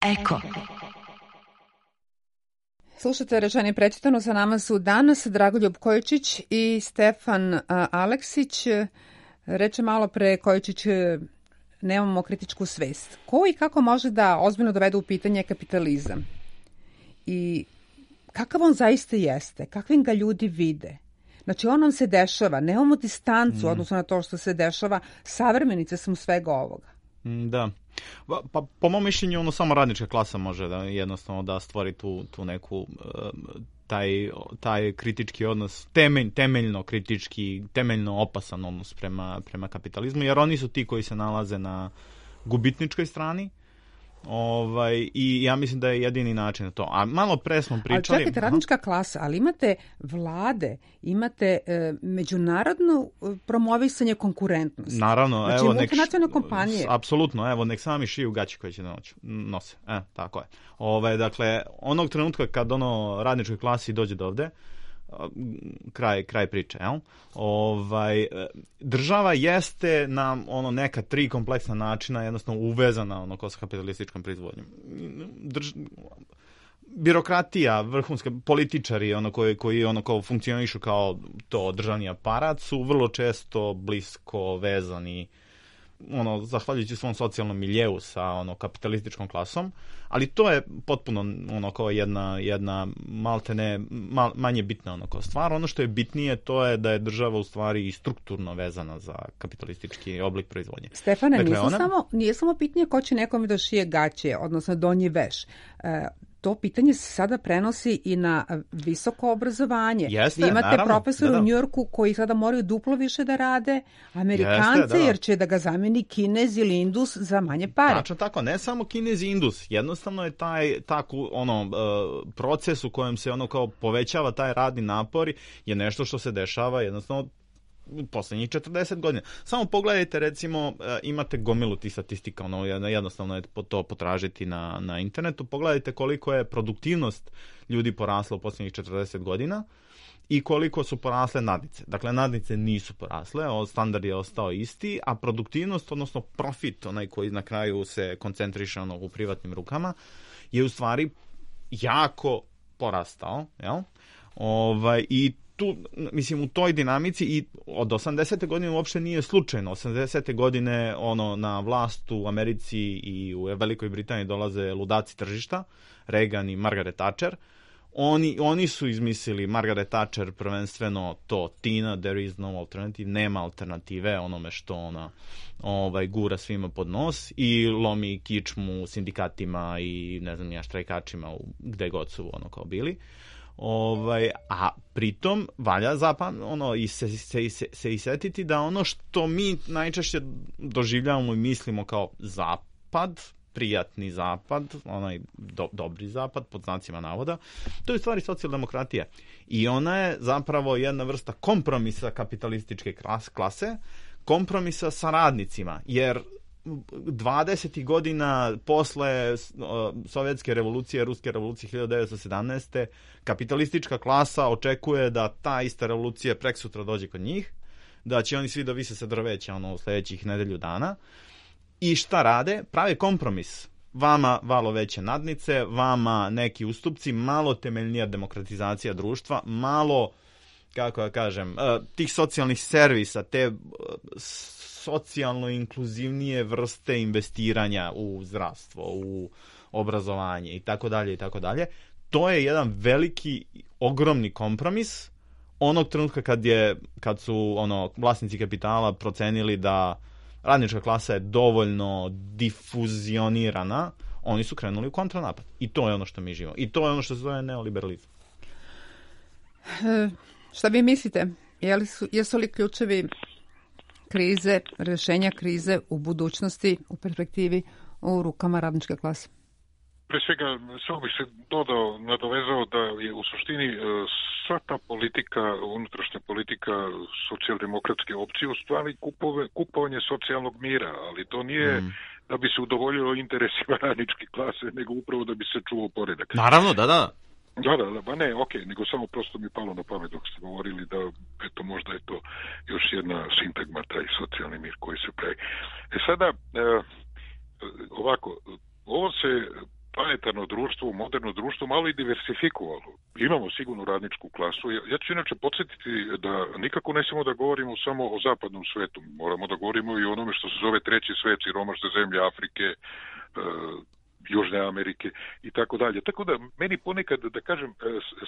S2: Eko.
S3: Slušate rečeni prečitano, sa nama su danas Dragoljub Kojičić i Stefan Aleksić. Reče malo pre Kojičić, nemamo kritičku svest. Ko i kako može da ozbiljno dovede u pitanje kapitalizam? I kakav on zaista jeste? Kakvim ga ljudi vide? Znači, on nam se dešava. Nemamo distancu odnosno na to što se dešava. Savremenice smo svega ovoga.
S4: Da. Pa po mom mišljenju samo radnička klasa može da jednostavno da stvori tu neku taj kritički odnos, temeljno kritički, temeljno opasan odnos prema kapitalizmu, jer oni su ti koji se nalaze na gubitničkoj strani I ja mislim da je jedini način to. A malo pre smo pričali...
S3: Ali čekajte, radnička klasa, ali imate vlade, imate međunarodno promovisanje konkurentnosti.
S4: Naravno.
S3: Znači, multinacionalne kompanije.
S4: Apsolutno, evo, nek sami šiju gaći koje će nose. Tako je. Dakle, onog trenutka kad radničkoj klasi dođe do ovde, kraj priče, jel? Država jeste na neka 3 kompleksna načina jednostavno uvezana sa kapitalističkom proizvodnjom. Birokratija, vrhunske političari koji kao funkcionišu kao to državni aparat su vrlo često blisko vezani zahvaljujući svom socijalnom miljeu sa kapitalističkom klasom, ali to je potpuno kao jedna maltene manje bitna kao stvar. Ono što je bitnije to je da je država u stvari i strukturno vezana za kapitalistički oblik proizvodnje.
S3: Stefane, nije samo pitanje ko će nekome da šije gaće, odnosno donji veš. To pitanje se sada prenosi i na visoko obrazovanje.
S4: Jeste,
S3: vi imate
S4: naravno,
S3: profesora u Njujorku koji sada moraju duplo više da rade, Amerikance, jer će da ga zameni Kinez ili Indus za manje pare.
S4: Tačno tako, ne samo Kinez i Indus, jednostavno je taj proces u kojem se kao povećava taj radni napor je nešto što se dešava jednostavno u poslednjih 40 godina. Samo pogledajte, recimo, imate gomilu tih statistika, jednostavno je to potražiti na internetu, pogledajte koliko je produktivnost ljudi porasla u poslednjih 40 godina i koliko su porasle nadnice. Dakle, nadnice nisu porasle, standard je ostao isti, a produktivnost, odnosno profit, onaj koji na kraju se koncentriše u privatnim rukama, je u stvari jako porastao, jel? I tu, mislim, u toj dinamici i od 80. godine uopšte nije slučajno. 80. godine na vlast u Americi i u Velikoj Britaniji dolaze ludaci tržišta, Reagan i Margaret Thatcher. Oni su izmislili, Margaret Thatcher prvenstveno to Tina, there is no alternative, nema alternative onome što ona gura svima pod nos i lomi kičmu sindikatima i ne znam ja štrajkačima gde god su kao bili. A pritom valja se isetiti da ono što mi najčešće doživljavamo i mislimo kao zapad, prijatni zapad, onaj dobri zapad, pod znacima navoda, to je u stvari socijaldemokratija. I ona je zapravo jedna vrsta kompromisa kapitalističke klase, kompromisa sa radnicima, jer 20. godina posle Sovjetske revolucije, Ruske revolucije 1917. kapitalistička klasa očekuje da ta ista revolucija preksutra dođe kod njih, da će oni svi da vise sa drveća u sledećih nedelju dana. I šta rade? Prave kompromis. Vama malo veće nadnice, vama neki ustupci, malo temeljnija demokratizacija društva, malo, kako ja kažem, tih socijalnih servisa, te socijalno inkluzivnije vrste investiranja u zdravstvo, u obrazovanje i tako dalje i tako dalje. To je jedan veliki, ogromni kompromis onog trenutka kad su vlasnici kapitala procenili da radnička klasa je dovoljno difuzionirana, oni su krenuli u kontranapad. I to je ono što mi živimo. I to je ono što se zove neoliberalizam.
S3: Šta vi mislite? Jesu li ključevi krize, rješenja krize u budućnosti, u perspektivi, u rukama radničke klase?
S5: Pre svega, samo bih se nadovezao da je u suštini sva ta politika, unutrašnja politika socijaldemokratske opcije u stvari kupovanje socijalnog mira, ali to nije da bi se udovoljilo interesima radničke klase, nego upravo da bi se čuvao poredak.
S4: Naravno, da.
S5: Da, ba ne, nego samo prosto mi palo na pamet dok ste govorili da eto možda je to još jedna sintagma, taj socijalni mir koji se pravi. Sada, ovako, ovo se planetarno društvo, moderno društvo malo i diversifikovalo. Imamo sigurno radničku klasu. Ja ću inače podsjetiti da nikako ne smemo da govorimo samo o zapadnom svetu. Moramo da govorimo i o onome što se zove treći svet, siromašne zemlje Afrike, Južne Amerike i tako dalje. Tako da meni ponekad, da kažem,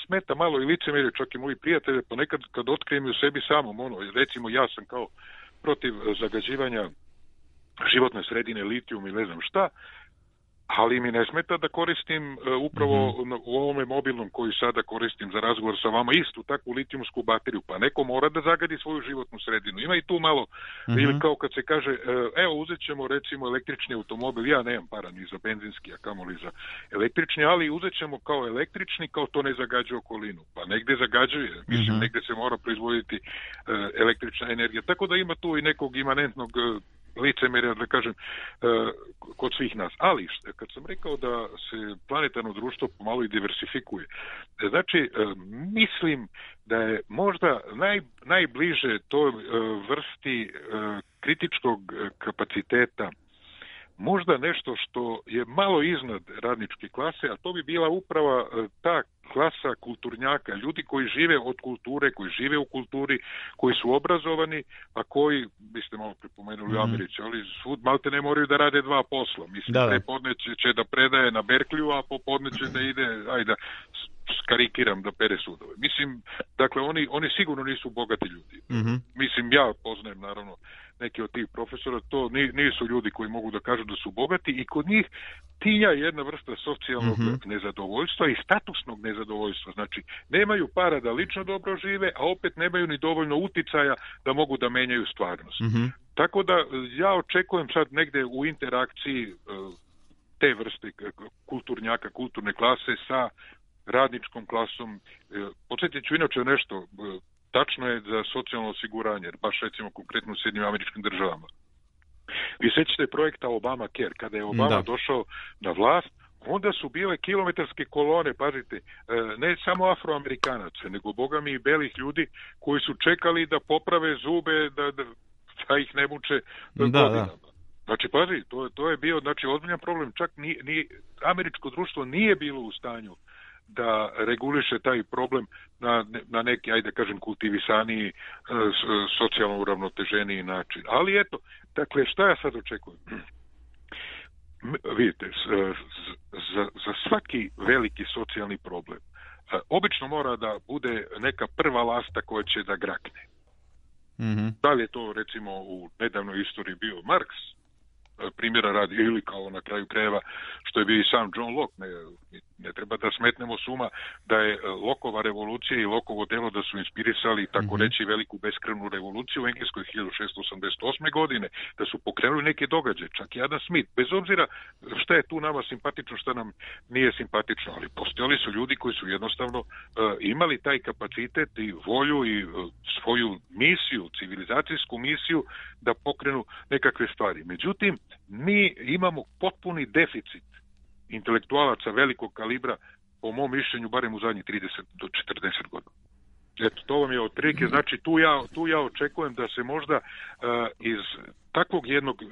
S5: smeta malo i licemerje, čak i moji prijatelje, ponekad kad otkrijem u sebi samom, recimo ja sam kao protiv zagađivanja životne sredine, litijum i ne znam šta, ali mi ne smeta da koristim upravo u ovome mobilnom koji sada koristim za razgovor sa vama istu takvu litijumsku bateriju, pa neko mora da zagadi svoju životnu sredinu. Ima i tu malo, ili kao kad se kaže, evo uzet ćemo recimo električni automobil, ja nemam para ni za benzinski, a kamoli za električni, ali uzet ćemo kao električni, kao to ne zagađuje okolinu. Pa negde zagađuje, mislim, negde se mora proizvoditi električna energija. Tako da ima tu i nekog imanentnog licemerja, da kažem, kod svih nas. Ali, kad sam rekao da se planetarno društvo pomalo i diversifikuje, znači, mislim da je možda najbliže toj vrsti kritičkog kapaciteta možda nešto što je malo iznad radničke klase, a to bi bila upravo ta klasa kulturnjaka, ljudi koji žive od kulture, koji žive u kulturi, koji su obrazovani, a koji, vi ste malo pripomenuli u Americi, ali svud malte ne moraju da rade dva posla. Mislim, prepodne će da predaje na Berkliju, a popodne će da ide, ajde, skarikiram, da pere sudove. Mislim, dakle, oni sigurno nisu bogati ljudi. Mislim, ja poznajem, naravno, neki od tih profesora, to nisu ljudi koji mogu da kažu da su bogati i kod njih tinja jedna vrsta socijalnog nezadovoljstva i statusnog nezadovoljstva. Znači, nemaju para da lično dobro žive, a opet nemaju ni dovoljno uticaja da mogu da menjaju stvarnost. Tako da ja očekujem sad negde u interakciji te vrste kulturnjaka, kulturne klase sa radničkom klasom. Podsjetit ću inače nešto, tačno je za socijalno osiguranje, baš recimo konkretno u Sjedinjenim Američkim Državama. Vi sećate projekta Obamacare, kada je Obama došao na vlast, onda su bile kilometarske kolone, pazite, ne samo Afroamerikanaca, nego bogami i belih ljudi koji su čekali da poprave zube, da ih ne muče godinama. Znači, pazi, to je bio ozbiljan problem, čak ni američko društvo nije bilo u stanju da reguliše taj problem na neki, ajde kažem, kultivisaniji, socijalno uravnoteženiji način. Ali eto, dakle, šta ja sad očekujem? Vidite, za svaki veliki socijalni problem obično mora da bude neka prva lasta koja će da grakne. Da li je to, recimo, u nedavnoj istoriji bio Marks, primjera radi, ili kao na kraju krajeva što je bio i sam John Locke. Ne treba da smetnemo suma da je Lockeova revolucija i Lockeovo delo da su inspirisali, tako reći, veliku beskrvnu revoluciju u Engleskoj 1688. godine, da su pokrenuli neke događaje, čak i Adam Smith, bez obzira šta je tu nama simpatično, šta nam nije simpatično, ali postojali su ljudi koji su jednostavno imali taj kapacitet i volju i svoju misiju, civilizacijsku misiju da pokrenu nekakve stvari. Međutim, mi imamo potpuni deficit intelektualaca velikog kalibra, po mom mišljenju, barem u zadnjih 30 do 40 godina. Eto, to vam je otprilike, znači tu ja očekujem da se možda iz takvog jednog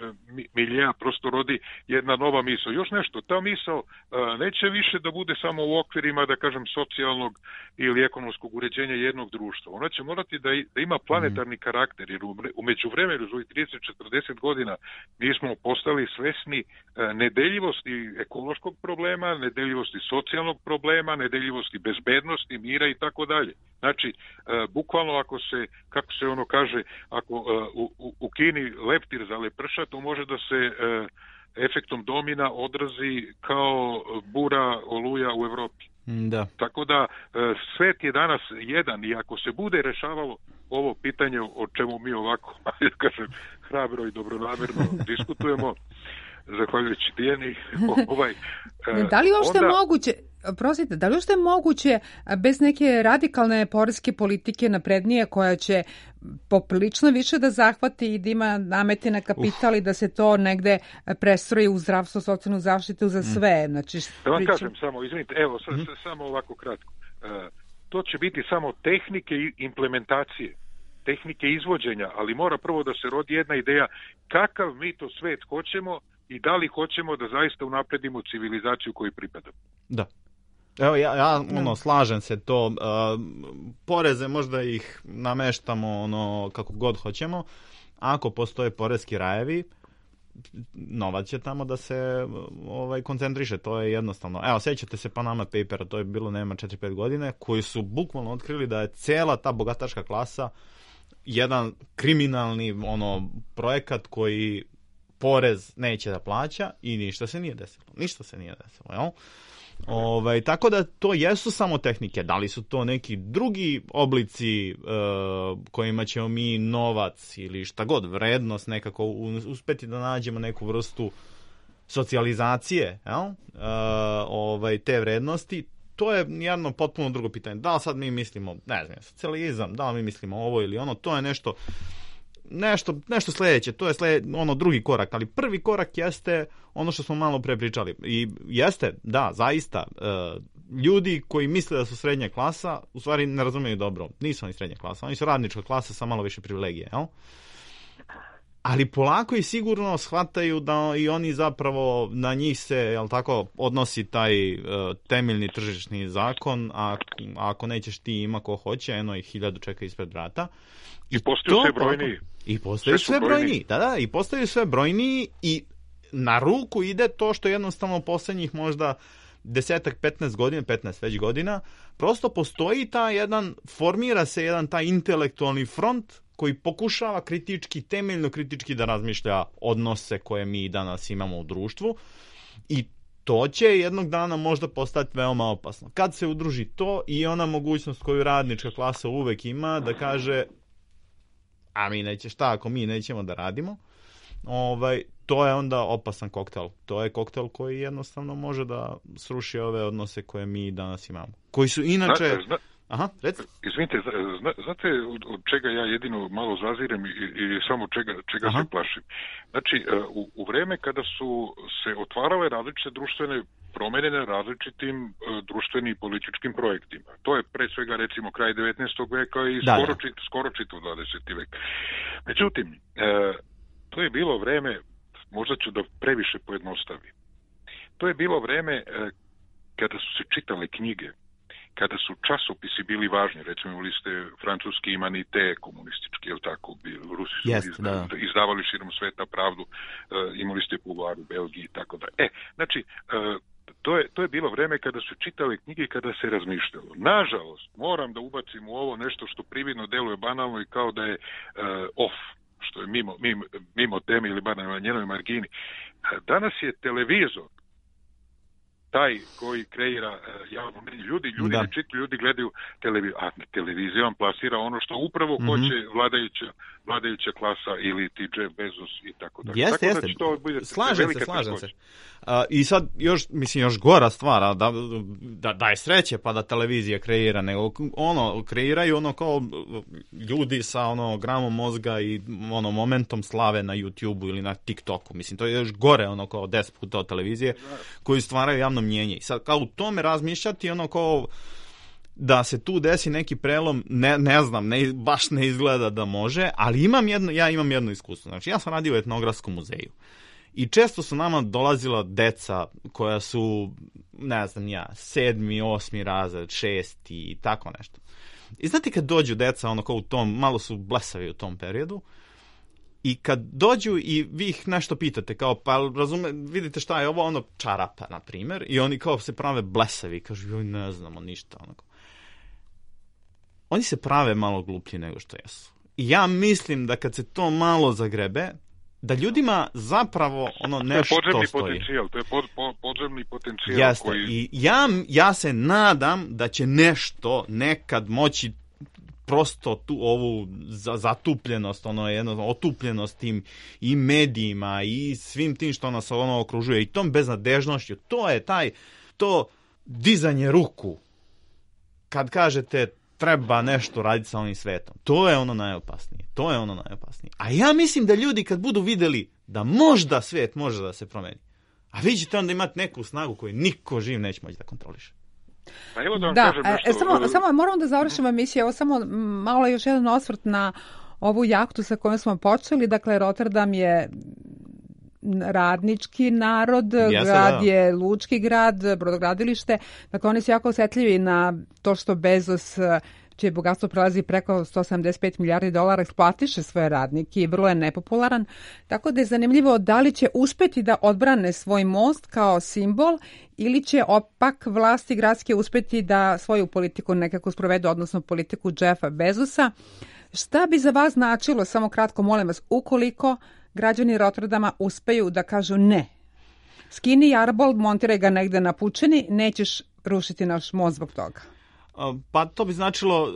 S5: miljeja prosto rodi jedna nova misao. Još nešto, ta misao neće više da bude samo u okvirima, da kažem, socijalnog ili ekonomskog uređenja jednog društva. Ona će morati da ima planetarni karakter, jer u međuvremenu, za 30-40 godina, mi smo postali svesni nedeljivosti ekološkog problema, nedeljivosti socijalnog problema, nedeljivosti bezbednosti, mira i tako dalje. Znači, bukvalno ako se, kako se ono kaže, ako u Kini leptir za leprša, to može da se efektom domina odrazi kao bura oluja u Evropi.
S4: Da.
S5: Tako da svet je danas jedan i ako se bude rešavalo ovo pitanje o čemu mi ovako, kažem, hrabro i dobronamerno diskutujemo, zahvaljujući Dijani,
S3: da li uopšte moguće, prosite, da li uopšte moguće bez neke radikalne poreske politike naprednije koja će poprilično više da zahvati i da ima namete na kapital i da se to negde prestroji u zdravstvo, socijalnu zaštitu za sve? Znači,
S5: da vam kažem samo, izvinite, evo, samo ovako kratko. To će biti samo tehnike i implementacije, tehnike izvođenja, ali mora prvo da se rodi jedna ideja kakav mi to svet hoćemo i da li hoćemo da zaista unapredimo civilizaciju koju pripadamo.
S4: Da. Evo, ja slažem se to. Poreze možda ih nameštamo kako god hoćemo. Ako postoje poreski rajevi, novac će tamo da se koncentriše. To je jednostavno. Evo, sjećate se Panama Papera, to je bilo 4-5 godine, koji su bukvalno otkrili da je cijela ta bogataška klasa jedan kriminalni projekat koji porez neće da plaća i ništa se nije desilo. Jel? Tako da to jesu samo tehnike. Da li su to neki drugi oblici kojima ćemo mi novac ili šta god, vrednost nekako uspeti da nađemo neku vrstu socijalizacije, te vrednosti, to je jedno potpuno drugo pitanje. Da li sad mi mislimo, ne znam, socijalizam, da li mi mislimo ovo ili ono, to je nešto sljedeće, to je drugi korak, ali prvi korak jeste ono što smo malo pre pričali. I jeste, da, zaista, ljudi koji misle da su srednja klasa, u stvari ne razumiju dobro. Nisu oni srednja klasa, oni su radnička klasa sa malo više privilegije, jel? Ali polako i sigurno shvataju da i oni zapravo na njih se, jel tako, odnosi taj temeljni tržišni zakon, a ako nećeš ti ima ko hoće, eno ih 1000 čeka ispred vrata.
S5: I postaju sve brojniji.
S4: I postaju sve brojniji, da, i postaju sve brojniji i na ruku ide to što jednostavno poslednjih možda 10-15 godina, 15 već godina, prosto postoji formira se jedan taj intelektualni front koji pokušava temeljno kritički da razmišlja odnose koje mi danas imamo u društvu i to će jednog dana možda postati veoma opasno. Kad se udruži to i ona mogućnost koju radnička klasa uvek ima da kaže a mi ako mi nećemo da radimo, to je onda opasan koktel. To je koktel koji jednostavno može da sruši ove odnose koje mi danas imamo. Koji su inače... Aha, reci.
S5: Izvinite, znate od čega ja jedino malo zazirem i samo čega se plašim? Znači, u vreme kada su se otvarale različite društvene promjene na različitim društvenim i političkim projektima. To je pre svega recimo kraj 19. veka i skoro čitav 20. vek. Međutim, to je bilo vreme, možda ću da previše pojednostavim, to je bilo vreme kada su se čitale knjige, kada su časopisi bili važni, recimo imali ste francuski imanite komunistički, jel tako, Rusi su izdavali širom sveta pravdu, imali ste Pouvoir u Belgiji i tako da. Znači, to je bilo vreme kada su čitali knjige i kada se razmišljalo. Nažalost, moram da ubacim u ovo nešto što prividno deluje banalno i kao da je off, što je mimo teme ili bar na njenoj margini. Danas je televizor taj koji kreira javno mnjenje. Ljudi ne čitaju, ljudi gledaju televiziju, a televizija vam plasira ono što upravo hoće vladajuća klasa ili ti Jeff Bezos i tako dalje.
S4: Jeste. Slažem se. I sad još gora stvar, da je sreće pa da televizija kreira, nego kreiraju kao ljudi sa gramom mozga i momentom slave na YouTube-u ili na TikToku. Mislim, to je još gore kao 10 puta od televizije koji stvaraju javno mnjenje. I sad kao u tome razmišljati kao da se tu desi neki prelom, ne znam, baš ne izgleda da može, ali ja imam jedno iskustvo. Znači, ja sam radio u etnografskom muzeju i često su nama dolazila deca koja su, ne znam ja, 7., 8. razred, 6. i tako nešto. I znate kad dođu deca, kao u tom, malo su blesavi u tom periodu, i kad dođu i vi ih nešto pitate, kao, pa vidite šta je ovo, čarapa, na primjer, i oni kao se prave blesavi, kažu, joj, ne znamo ništa, Oni se prave malo gluplji nego što jesu. I ja mislim da kad se to malo zagrebe, da ljudima zapravo nešto stoji.
S5: To je podzemni potencijal.
S4: Jeste, i ja se nadam da će nešto nekad moći prosto tu ovu zatupljenost, otupljenost tim i medijima i svim tim što nas okružuje i tom beznadežnošću, to je to dizanje ruku kad kažete treba nešto raditi sa ovim svetom. To je najopasnije. A ja mislim da ljudi kad budu vidjeli da možda svijet može da se promeni, a vi ćete onda imati neku snagu koju niko živ neće moći da kontroliše.
S3: Samo moramo da završimo emisiju. Evo samo malo još jedan osvrt na ovu jahtu sa kojom smo počeli. Dakle, Rotterdam je radnički narod, grad je lučki grad, brodogradilište. Dakle, oni su jako osjetljivi na to što Bezos, čije bogatstvo prelazi preko $175 milijardi, eksploatiše svoje radnike i vrlo je nepopularan. Tako da je zanimljivo da li će uspeti da odbrane svoj most kao simbol ili će opak vlasti gradske uspeti da svoju politiku nekako sprovedu, odnosno politiku Jeffa Bezosa. Šta bi za vas značilo, samo kratko molim vas, ukoliko građani Rotterdama uspeju da kažu ne. Skini jarbol, montiraj ga negde na pučini, nećeš rušiti naš most zbog toga.
S4: Pa to bi značilo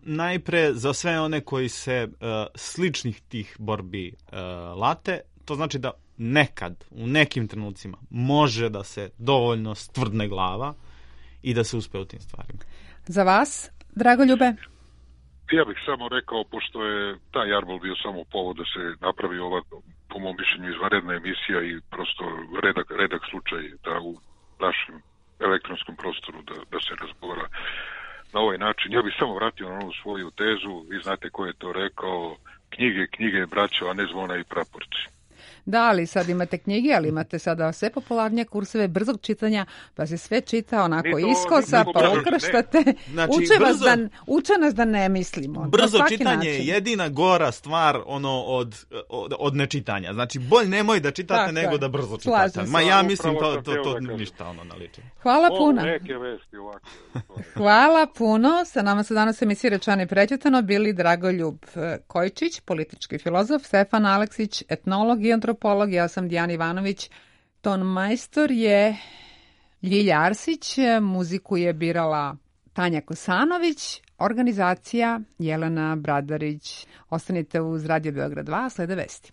S4: najpre za sve one koji se sličnih tih borbi late, to znači da nekad, u nekim trenucima, može da se dovoljno stvrdne glava i da se uspe u tim stvarima.
S3: Za vas, Dragoljube?
S5: Ja bih samo rekao, pošto je taj jarbol bio samo povod da se napravi ova, po mom mišljenju, izvanredna emisija i prosto redak slučaj da u našem elektronskom prostoru da se razgovara na ovaj način. Ja bih samo vratio na ovu svoju tezu, vi znate ko je to rekao, knjige, braćo, a ne zvona i praporci.
S3: Da, ali sad imate knjige, ali imate sada sve popularnije kurseve brzog čitanja, pa se sve čita onako iskosa, pa ukrštate.
S4: Znači,
S3: uče nas da ne mislimo.
S4: Brzo čitanje je jedina gora stvar od nečitanja. Znači, bolj nemoj da čitate nego da brzo čitate. Ma ja mislim to ništa naliči.
S3: Hvala puno.
S5: Neke vesti ovako.
S3: Hvala puno. Sa nama su danas emisije Rečeno i prećutano bili Dragoljub Kojčić, politički filozof, Stefan Aleksić, etnolog i antropolog, ja sam Dijana Ivanović, ton majstor je Ljilja Arsić, muziku je birala Tanja Kosanović, organizacija Jelena Bradarić. Ostanite uz Radio Beograd 2, slede vesti.